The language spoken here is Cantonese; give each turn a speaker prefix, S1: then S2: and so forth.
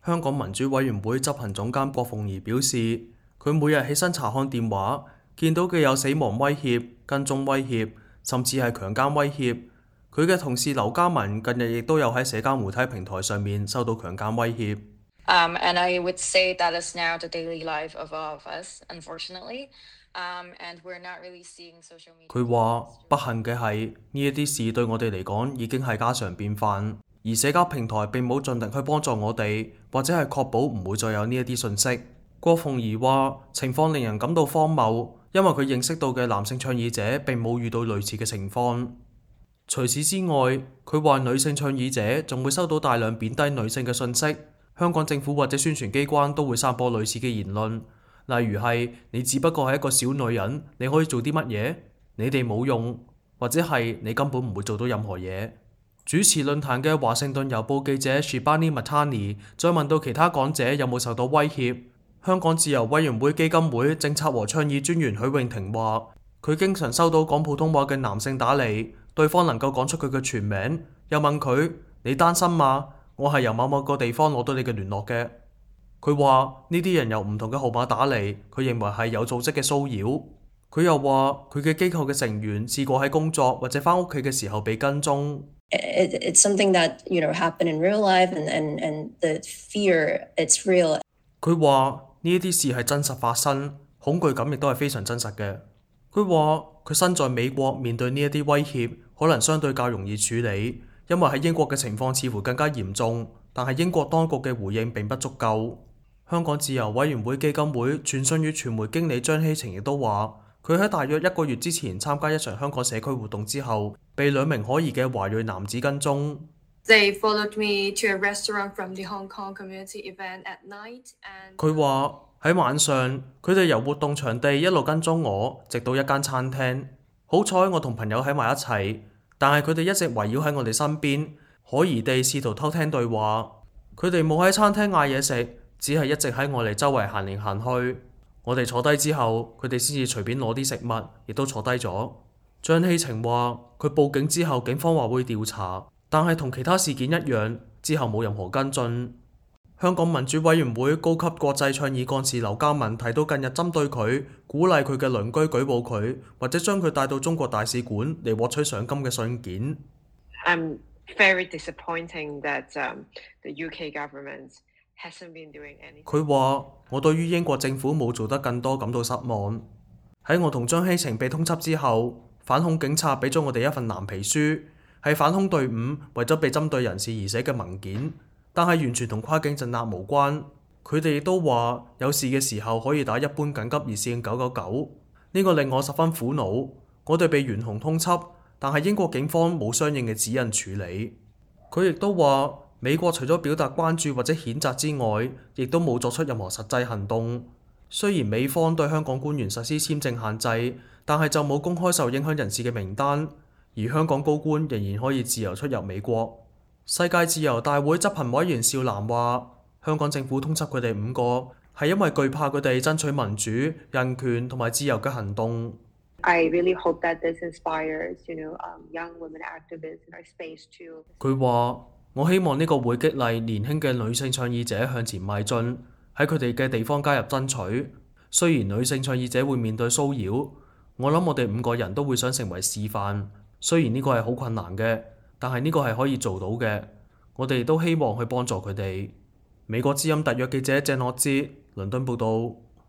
S1: 香港民主委員會執行總監郭鳳儀表示，佢每日起身查看電話，見到嘅有死亡威脅、跟蹤威脅，甚至係強姦威脅。佢嘅同事劉嘉文近日亦都有喺社交媒體平台上面收到強姦威脅。
S2: And I would say that is now the daily life of all of us, unfortunately. And we're not really seeing social media.
S1: 佢話不幸嘅係呢一啲事對我哋嚟講已經係家常便飯，而社交平台並冇盡力去幫助我哋，或者係確保唔會再有呢一啲信息。郭鳳儀話情況令人感到荒謬，因為佢認識到嘅男性倡議者並冇遇到類似嘅情況。除此之外，佢話女性倡議者仲會收到大量貶低女性嘅信息，香港政府或者宣傳機關都會散播類似嘅言論。例如係你只不過係一個小女人，你可以做啲乜嘢？你哋冇用，或者係你根本唔會做到任何嘢。主持論壇嘅華盛頓郵報記者 Shibani Mantani 再問到其他講者有冇受到威脅，香港自由委員會基金會政策和倡議專員許穎婷話：佢經常收到講普通話嘅男性打嚟，對方能夠講出佢嘅全名，又問佢：你單身嗎？我係由某某個地方攞到你嘅聯絡嘅。佢話呢啲人由唔同嘅號碼打嚟，佢認為係有組織嘅騷擾。佢又話佢嘅機構嘅成員試過喺工作或者返屋企嘅時候被跟蹤。
S3: It's something that happened in real life, and the fear, it's real.
S1: 佢話呢一啲事係真實發生，恐懼感亦都係非常真實嘅。佢話佢身在美國，面對呢一啲威脅，可能相對較容易處理，因為喺英國嘅情況似乎更加嚴重，但係英國當局嘅回應並不足夠。香港自由委員會基金會傳訊與傳媒經理張希晴亦都話，佢喺大約1個月之前參加一場香港社區活動之後，被2名可疑嘅華裔男子跟蹤。
S4: They followed me to a restaurant from the Hong Kong community event at night, and
S1: 佢話喺晚上，佢哋由活動場地一路跟蹤我，直到一間餐廳。好彩我同朋友喺埋一齊，但係佢哋一直圍繞喺我哋身邊，可疑地試圖偷聽對話。佢哋冇喺餐廳嗌嘢食，只係一直喺我哋周圍行嚟行去。我哋坐低之後，佢哋先至隨便攞啲食物，亦都坐低咗。張希晴話佢報警之後，警方話會調查，但係同其他事件一樣，之後冇任何跟進。香港民主委員會高級國際倡議幹事劉嘉文提到，近日針對佢鼓勵佢嘅鄰居舉報佢，或者將佢帶到中國大使館嚟獲取賞金嘅信件。
S5: I'm very disappointing that the UK government hasn't been doing anything.
S1: 佢話我對於英國政府冇做得更多感到失望。喺我同張希晴被通緝之後，反恐警察俾咗我哋一份藍皮書，係反恐隊伍為咗被針對人士而寫嘅文件，但係完全同跨境鎮壓無關。佢哋亦都話有事嘅時候可以打一般緊急熱線999。呢個令我十分苦惱。我哋被懸紅通緝，但係英國警方冇相應嘅指引處理。佢亦都話美國除咗表達關注或者譴責之外，亦都冇作出任何實際行動。雖然美方對香港官員實施簽證限制，但係就冇公開受影響人士嘅名單，而香港高官仍然可以自由出入美國。世界自由大會執行委員邵嵐話，香港政府通緝佢哋5個係因為懼怕佢哋爭取民主、人權同埋自由嘅行動。
S5: I really hope that this inspires, young women activists in our space to.
S1: 佢話：我希望呢個會激勵年輕嘅女性倡議者向前邁進，喺佢哋嘅地方加入爭取。雖然女性倡議者會面對騷擾，我諗我哋5個人都會想成為示範。雖然呢個係好困難嘅，但係呢個係可以做到嘅。我哋都希望去幫助佢哋。美國之音特約記者鄭樂之，倫敦報導。